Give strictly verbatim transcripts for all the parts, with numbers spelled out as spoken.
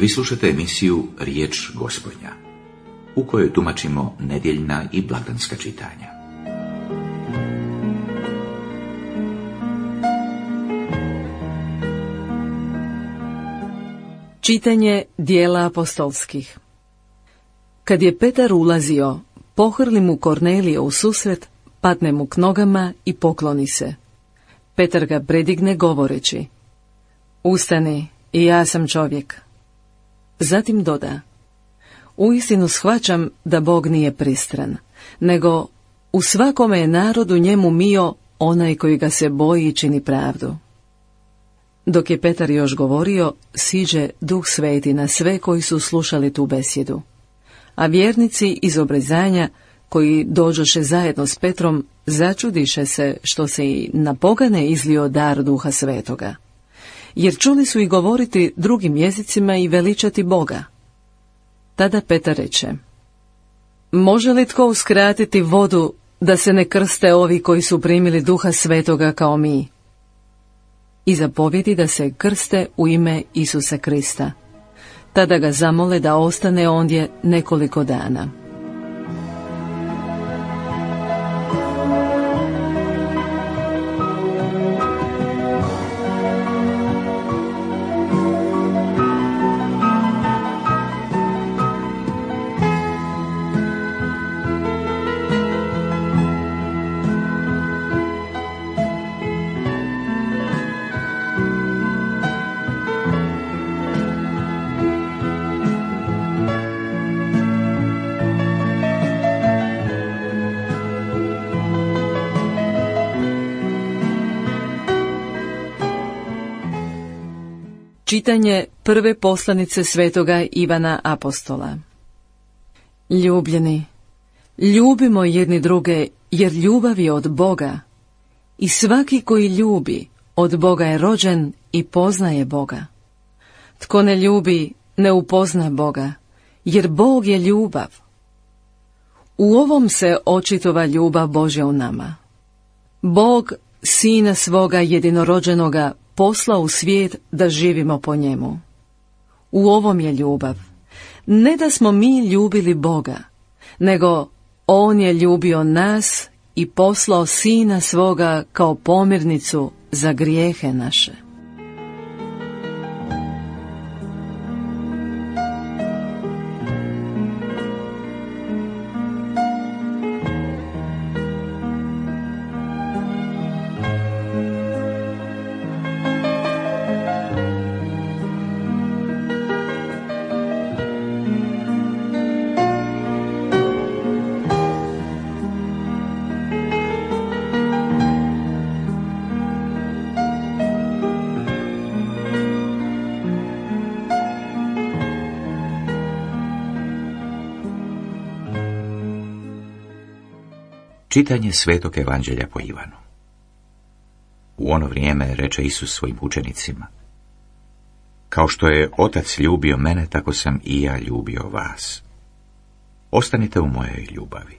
Vi slušate emisiju Riječ Gospodnja, u kojoj tumačimo nedjeljna i blagdanska čitanja. Čitanje dijela apostolskih. Kad je Petar ulazio, pohrli mu Kornelije u susret, padne mu k nogama i pokloni se. Petar ga predigne govoreći: Ustani, i ja sam čovjek. Zatim doda: Uistinu shvaćam da Bog nije pristran, nego u svakome je narodu njemu mio onaj koji ga se boji i čini pravdu. Dok je Petar još govorio, siđe Duh Sveti na sve koji su slušali tu besjedu. A vjernici iz obrezanja, koji dođoše zajedno s Petrom, začudiše se što se i na pogane izlio dar Duha Svetoga. Jer čuli su i govoriti drugim jezicima i veličati Boga. Tada Petar reče: Može li tko uskratiti vodu da se ne krste ovi koji su primili Duha Svetoga kao mi? I zapovjedi da se krste u ime Isusa Krista. Tada ga zamole da ostane ondje nekoliko dana. Čitanje prve poslanice svetoga Ivana Apostola. Ljubljeni, ljubimo jedni druge, jer ljubav je od Boga. I svaki koji ljubi, od Boga je rođen i poznaje Boga. Tko ne ljubi, ne upozna Boga, jer Bog je ljubav. U ovom se očitova ljubav Božja u nama. Bog Sina svoga jedinorođenoga poslao u svijet da živimo po njemu. U ovom je ljubav. Ne da smo mi ljubili Boga, nego On je ljubio nas i poslao Sina svoga kao pomirnicu za grijehe naše. Čitanje Svetog Evanđelja po Ivanu. U ono vrijeme reče Isus svojim učenicima: Kao što je Otac ljubio mene, tako sam i ja ljubio vas. Ostanite u mojoj ljubavi.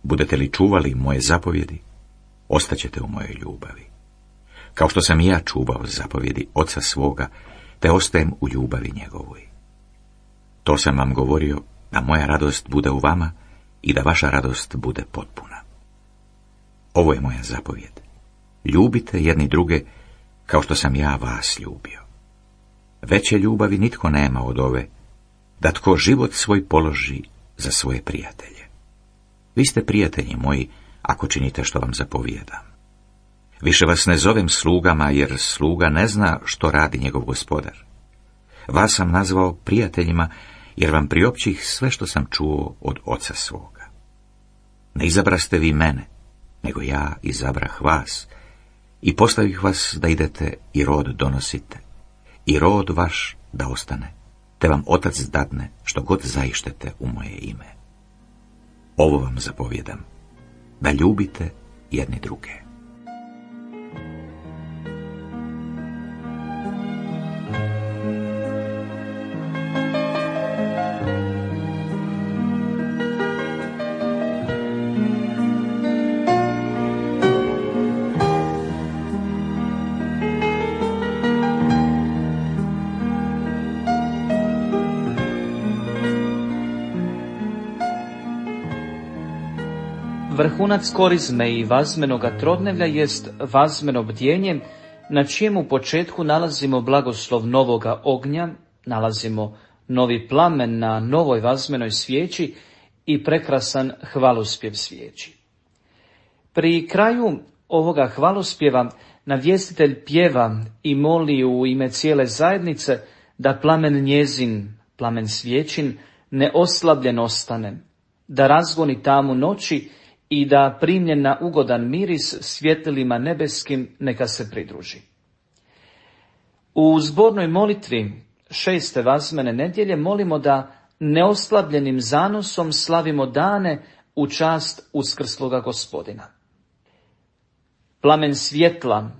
Budete li čuvali moje zapovjedi, ostaćete u mojoj ljubavi. Kao što sam i ja čuvao zapovjedi Oca svoga, te ostajem u ljubavi njegovoj. To sam vam govorio, da moja radost bude u vama i da vaša radost bude potpuna. Ovo je moja zapovjed: ljubite jedni druge kao što sam ja vas ljubio. Veće ljubavi nitko nema od ove, da tko život svoj položi za svoje prijatelje. Vi ste prijatelji moji, ako činite što vam zapovijedam. Više vas ne zovem slugama, jer sluga ne zna što radi njegov gospodar. Vas sam nazvao prijateljima, jer vam priopćih sve što sam čuo od Oca svoga. Ne izabraste vi mene, nego ja izabrah vas i postavih vas da idete i rod donosite, i rod vaš da ostane, te vam Otac dadne što god zaištete u moje ime. Ovo vam zapovjedam, da ljubite jedni druge. Vrhunac korizme i vazmenoga trodnevlja jest vazmeno bdjenje, na čijemu početku nalazimo blagoslov novoga ognja, nalazimo novi plamen na novoj vazmenoj svijeći i prekrasan hvalospjev svijeći. Pri kraju ovoga hvalospjeva navjestitelj pjeva i moli u ime cijele zajednice da plamen njezin, plamen svijećin, neoslabljen ostane, da razgoni tamu noći i da primljen na ugodan miris svjetlima nebeskim neka se pridruži. U zbornoj molitvi šeste vazmene nedjelje molimo da neoslabljenim zanosom slavimo dane u čast uskrsloga Gospodina. Plamen svjetla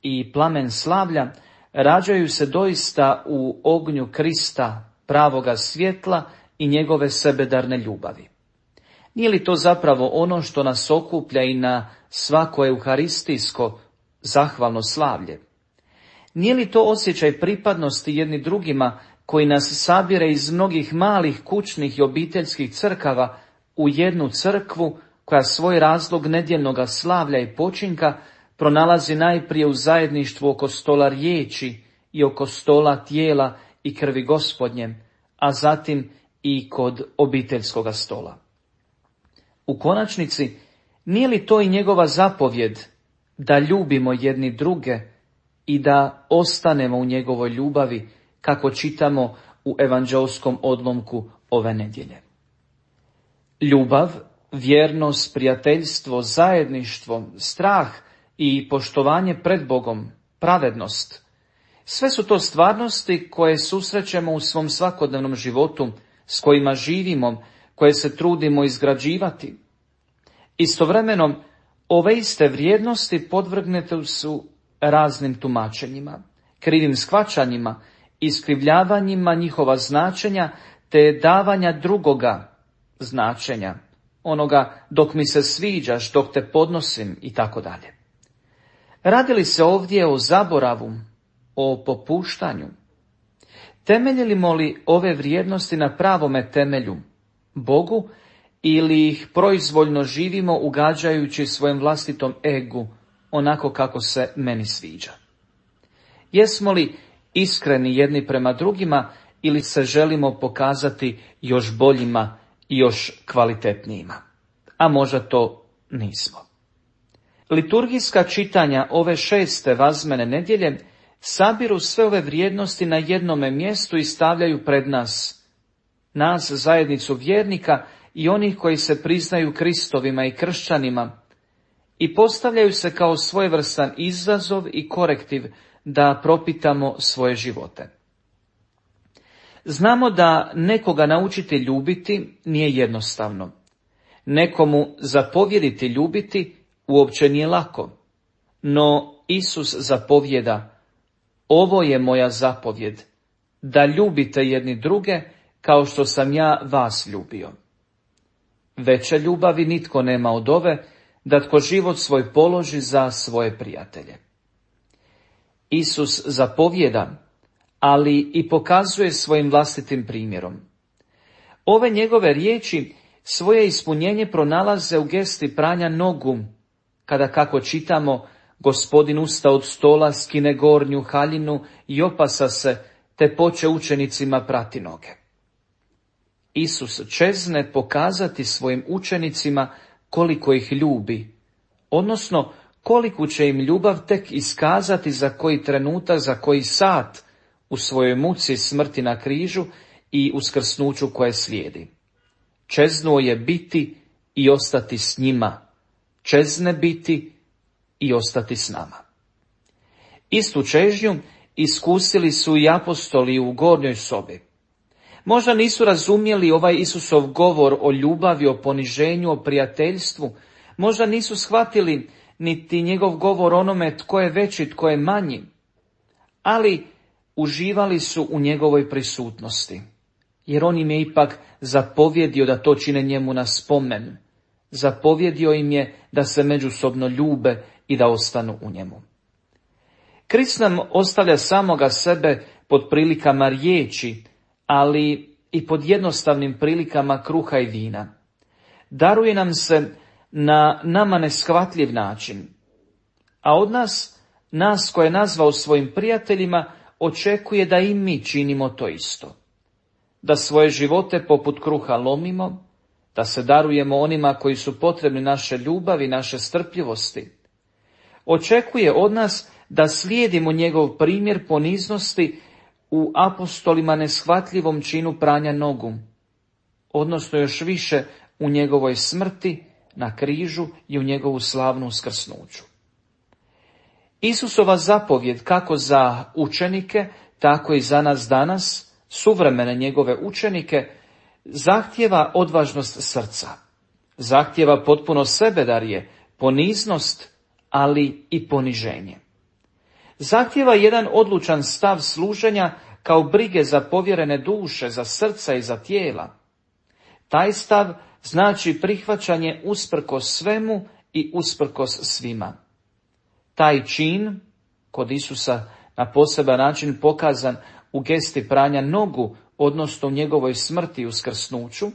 i plamen slavlja rađaju se doista u ognju Krista, pravoga svjetla i njegove sebedarne ljubavi. Nije li to zapravo ono što nas okuplja i na svako euharistijsko zahvalno slavlje? Nije li to osjećaj pripadnosti jedni drugima koji nas sabire iz mnogih malih kućnih i obiteljskih crkava u jednu crkvu koja svoj razlog nedjeljnoga slavlja i počinka pronalazi najprije u zajedništvu oko stola riječi i oko stola tijela i krvi Gospodnje, a zatim i kod obiteljskoga stola. U konačnici, nije li to i njegova zapovjed da ljubimo jedni druge i da ostanemo u njegovoj ljubavi, kako čitamo u evanđeoskom odlomku ove nedjelje? Ljubav, vjernost, prijateljstvo, zajedništvo, strah i poštovanje pred Bogom, pravednost, sve su to stvarnosti koje susrećemo u svom svakodnevnom životu, s kojima živimo, koje se trudimo izgrađivati. Istovremeno, ove iste vrijednosti podvrgnete su raznim tumačenjima, krivim shvaćanjima, iskrivljavanjima njihova značenja, te davanja drugoga značenja, onoga dok mi se sviđaš, dok te podnosim i tako dalje. Radi li se ovdje o zaboravu, o popuštanju? Temeljimo li ove vrijednosti na pravome temelju, Bogu, ili ih proizvoljno živimo ugađajući svojem vlastitom egu, onako kako se meni sviđa? Jesmo li iskreni jedni prema drugima ili se želimo pokazati još boljima i još kvalitetnijima? A možda to nismo. Liturgijska čitanja ove šeste vazmene nedjelje sabiru sve ove vrijednosti na jednome mjestu i stavljaju pred nas, nas zajednicu vjernika i onih koji se priznaju Kristovima i kršćanima, i postavljaju se kao svojevrstan izazov i korektiv da propitamo svoje živote. Znamo da nekoga naučiti ljubiti nije jednostavno. Nekomu zapovjediti ljubiti uopće nije lako. No Isus zapovjeda: ovo je moja zapovjed, da ljubite jedni druge kao što sam ja vas ljubio. Veće ljubavi nitko nema od ove, da tko život svoj položi za svoje prijatelje. Isus zapovjeda, ali i pokazuje svojim vlastitim primjerom. Ove njegove riječi svoje ispunjenje pronalaze u gesti pranja nogu, kada, kako čitamo, Gospodin usta od stola, skine gornju haljinu i opasa se, te poče učenicima prati noge. Isus čezne pokazati svojim učenicima koliko ih ljubi, odnosno koliku će im ljubav tek iskazati za koji trenutak, za koji sat u svojoj muci, smrti na križu i uskrsnuću koje slijedi. Čeznuo je biti i ostati s njima, čezne biti i ostati s nama. Istu čežnju iskusili su i apostoli u gornjoj sobi. Možda nisu razumjeli ovaj Isusov govor o ljubavi, o poniženju, o prijateljstvu. Možda nisu shvatili niti njegov govor onome tko je veći, tko je manji. Ali uživali su u njegovoj prisutnosti, jer on im je ipak zapovjedio da to čine njemu na spomen. Zapovjedio im je da se međusobno ljube i da ostanu u njemu. Krist nam ostavlja samoga sebe pod prilikama riječi, ali i pod jednostavnim prilikama kruha i vina. Daruje nam se na nama neshvatljiv način, a od nas, nas koje je nazvao svojim prijateljima, očekuje da i mi činimo to isto. Da svoje živote poput kruha lomimo, da se darujemo onima koji su potrebni naše ljubavi, naše strpljivosti. Očekuje od nas da slijedimo njegov primjer poniznosti u apostolima neshvatljivom činu pranja nogu, odnosno još više u njegovoj smrti na križu i u njegovu slavnu uskrsnuću. Isusova zapovjed kako za učenike, tako i za nas danas, suvremene njegove učenike, zahtjeva odvažnost srca, zahtjeva potpuno sebedarje, poniznost, ali i poniženje. Zahtjeva jedan odlučan stav služenja kao brige za povjerene duše, za srca i za tijela. Taj stav znači prihvaćanje usprkos svemu i usprkos svima. Taj čin, kod Isusa na poseban način pokazan u gesti pranja nogu, odnosno u njegovoj smrti i uskrsnuću,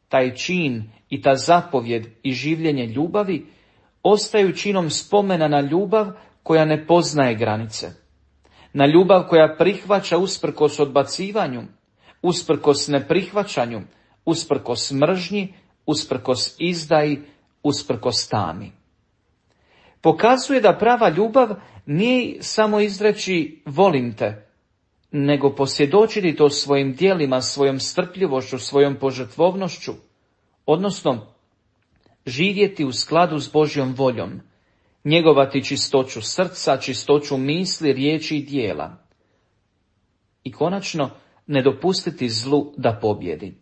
taj čin i ta zapovjed i življenje ljubavi ostaju činom spomena na ljubav koja ne poznaje granice, na ljubav koja prihvaća usprkos odbacivanju, usprkos neprihvaćanju, usprkos mržnji, usprkos izdaji, usprkos tami. Pokazuje da prava ljubav nije samo izreći volim te, nego posvjedočiti to svojim djelima, svojom strpljivošću, svojom požrtvovnošću, odnosno živjeti u skladu s Božjom voljom, njegovati čistoću srca, čistoću misli, riječi i djela. I konačno, ne dopustiti zlu da pobjedi.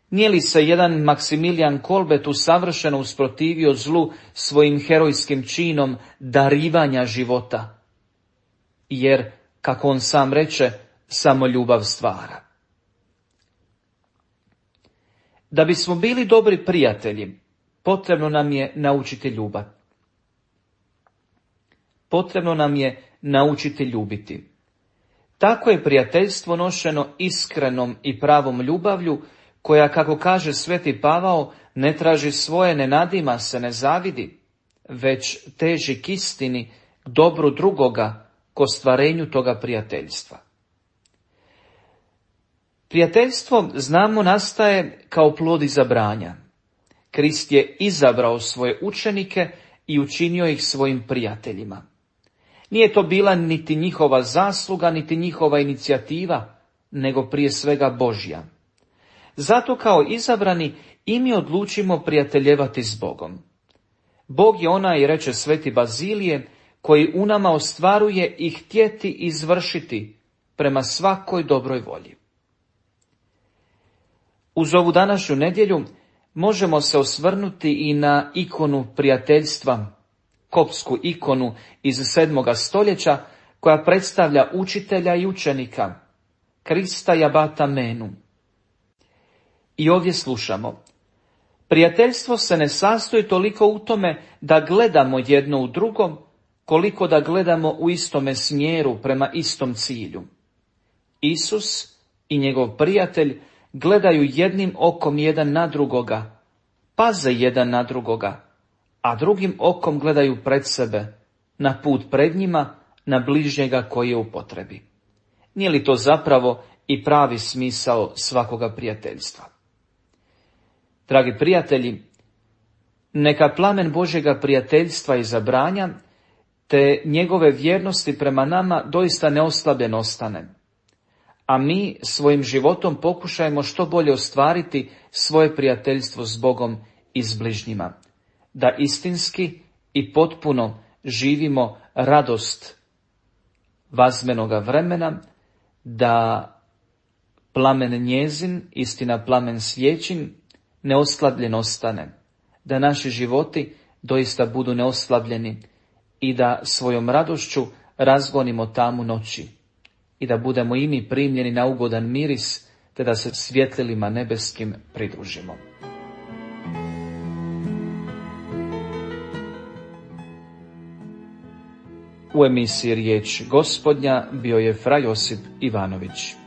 Nije li se jedan Maksimilijan Kolbe tu savršeno usprotivio zlu svojim herojskim činom darivanja života? Jer, kako on sam reče, samo ljubav stvara. Da bismo bili dobri prijatelji, potrebno nam je naučiti ljubav. Potrebno nam je naučiti ljubiti. Tako je prijateljstvo nošeno iskrenom i pravom ljubavlju, koja, kako kaže sveti Pavao, ne traži svoje, ne nadima se, ne zavidi, već teži k istini, k dobru drugoga, k ostvarenju toga prijateljstva. Prijateljstvo, znamo, nastaje kao plod izabranja. Krist je izabrao svoje učenike i učinio ih svojim prijateljima. Nije to bila niti njihova zasluga, niti njihova inicijativa, nego prije svega Božja. Zato kao izabrani i mi odlučimo prijateljevati s Bogom. Bog je onaj, reče sveti Bazilije, koji u nama ostvaruje i htjeti izvršiti prema svakoj dobroj volji. Uz ovu današnju nedjelju možemo se osvrnuti i na ikonu prijateljstva, koptsku ikonu iz sedmoga stoljeća, koja predstavlja učitelja i učenika, Krista i abata Menu. I ovdje slušamo: prijateljstvo se ne sastoji toliko u tome da gledamo jedno u drugom, koliko da gledamo u istome smjeru, prema istom cilju. Isus i njegov prijatelj gledaju jednim okom jedan na drugoga, paze jedan na drugoga, a drugim okom gledaju pred sebe, na put pred njima, na bližnjega koji je u potrebi. Nije li to zapravo i pravi smisao svakoga prijateljstva? Dragi prijatelji, neka plamen Božjega prijateljstva i zabranja, te njegove vjernosti prema nama doista neoslabljen ostane, a mi svojim životom pokušajmo što bolje ostvariti svoje prijateljstvo s Bogom i s bližnjima, da istinski i potpuno živimo radost vazmenoga vremena, da plamen njezin, istina plamen svijećin, neoslabljen ostane, da naši životi doista budu neoslabljeni i da svojom radošću razgonimo tamu noći i da budemo i mi primljeni na ugodan miris, te da se svjetlilima nebeskim pridružimo. U emisiji Riječ Gospodnja bio je fra Josip Ivanović.